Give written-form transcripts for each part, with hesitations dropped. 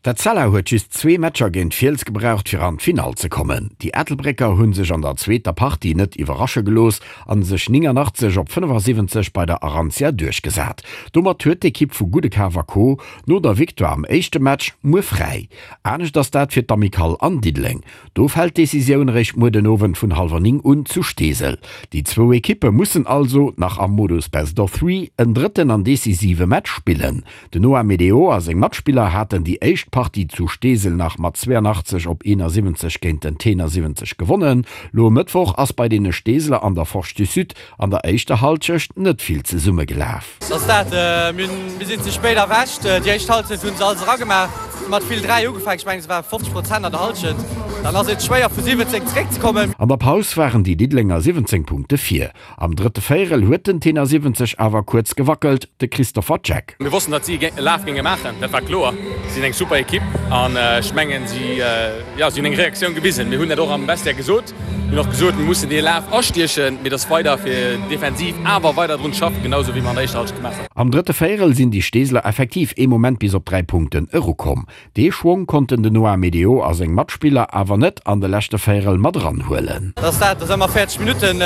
D'Etzella huet just zwee Matcher géint Fiels gebraucht, fir an d'Finall ze kommen. Déi Ettelbrécker hu sech an der zweeter Partie net iwwerrasche gelooss a sech 89 op 75 bei der Arantia duerchgesat. Domat huet d'Ekipp vu Gudekaf a Co. No der Victoire am éischte Match muer fräi. Anescht ass dat fir d'Amicale an Diddeleng. Do fält d'Decisioun eréischt muer den Owend vun hallwer 9 un zu Steesel. Déi zwou Ekippe mussen also nach am Modus Best of Three en drëtten an decisive Match spillen. Den Noah Medeo a seng Matspiller haten déi éischt Partie zu Steesel nach mat 82 op 71 géint den Tenor 70 gewonnen. Lo e Mëttwoch ass bei deene Steeseler an der Forge du Sud an der éischter Hallschecht net vill zesummegelaf. Ass dat, mir sinn ze spéit erwächt. Déi éischt Halschent hunn se alles eragemaach, mat vill 3 ugefaangen, ech mengen se ware 50 Prozent an der Halschent. Dann ass et schwéier vu 17 zeréckzekommen. An der Paus waren déi Diddelenger 17 Punkte vir. Am drëtte Véierel huet den Tenor 70 awer kuerz gewackelt, de Christopher Jack. Mir wossten, datt si e Laf géinge maachen, dat war kloer. Si sinn eng super Ekipp an ech mengen, si, jo, si hunn eng Reaktioun gewisen. Mir hunn dat och am Vestiaire gesot. Mir hunn och gesot, mir mussen dee Laf astiechen, mee datt weider fir defensiv awer weider drun schaffen, genau esou wéi mer an der éischter Hallschent gemaach hunn. Am drëtte Véierel sinn déi Steeseler effektiv ee Moment bis op 3 Punkten erukomm. Dee Schwong konnten den Noah Medeo a seng Matspiller awer net an de leschte Véierel mat eranhuelen. Dat ass dat, dat ass ëmmer 40 Minutten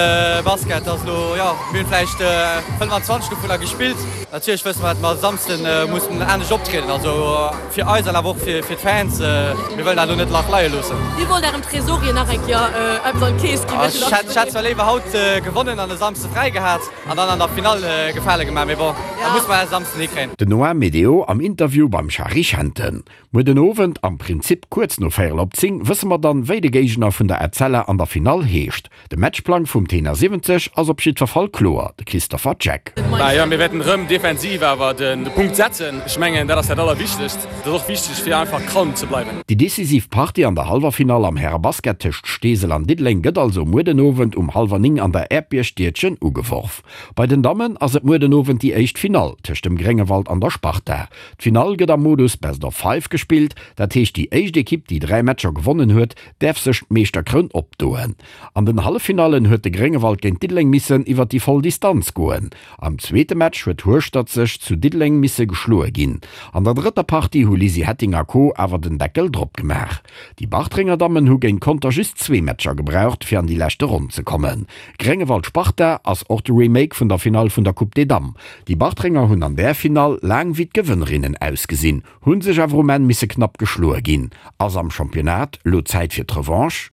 Basket. Dat ass elo, jo, mir hunn vläicht 25 dovunner gespillt. Natierlech wësse mer, datt mer e Samsde mussen anescht optrieden, also fir eis an awer och fir d'Fans. Mir wëllen dat elo net lach leie loossen. Dir wollt ärem Tresorier nach eng Kéier eppes an d'Keess ginn. Ech hätt zwar léiwer haut gewonnen an e Samsde fräi gehat an dann an der Finall Gefale gemaach, mee bon, dat musse mer e Samsden hikréien. Den Noah Medeo am Interview beim Shari Schenten. Muer den Owend, am Prinzip kuerz no véierel op 10, wësse mer dann, wéi de Géigner vun der Etzella an der Finall heescht. De Matchplang vum Tenor 70 ass op jiddwer Fall kloer, de Christopher Jack. Bah jo, mir wäerten erëm defensiv awer de Punkt setzen. Ech mengen, dat ass dat Allerwichtegst. Et ass och wichteg, fir einfach calm ze bleiwen. Déi decisiv Partie an der Hallwerfinall am Härebasket tëscht Steesel an Diddeleng gëtt also muer den Owend um hallwer 9 an der Äerdbierg-Dietchen ugeworf. Bei den Dammen ass et muer den Owend déi éischt Finall tëscht dem Gréngewald an der Sparta. D'Finall gëtt am Modus Best of Five gespillt, dat heescht déi éischt Ekipp, déi 3 Matcher gewonnen huet, däerf sech d'Meeschterkroun opdoen. An den Halleffinallen huet de Gréngewald géint Diddeleng missen iwwer déi voll Distanz goen. Am zweete Match huet Hueschtert sech zu Diddeleng misse geschloe ginn. An der drëtter Partie hu Lisi Hetting a Co. Awer den Deckel drop gemaach. Déi Bartrenger Dammen hu géint Conter just zwee Matcher gebraucht, fir an déi leschte Ronn ze kommen. Gréngewald-Sparta ass och de Remake vun der Finall vun der Coupe des Dames. Déi Bartrenger hunn an där Finall laang wéi d'Gewënnerinnen ausgesinn, hu sech awer um Enn misse knapp geschloe ginn. Ass am Championnat lo Zäit fir d'Revanche?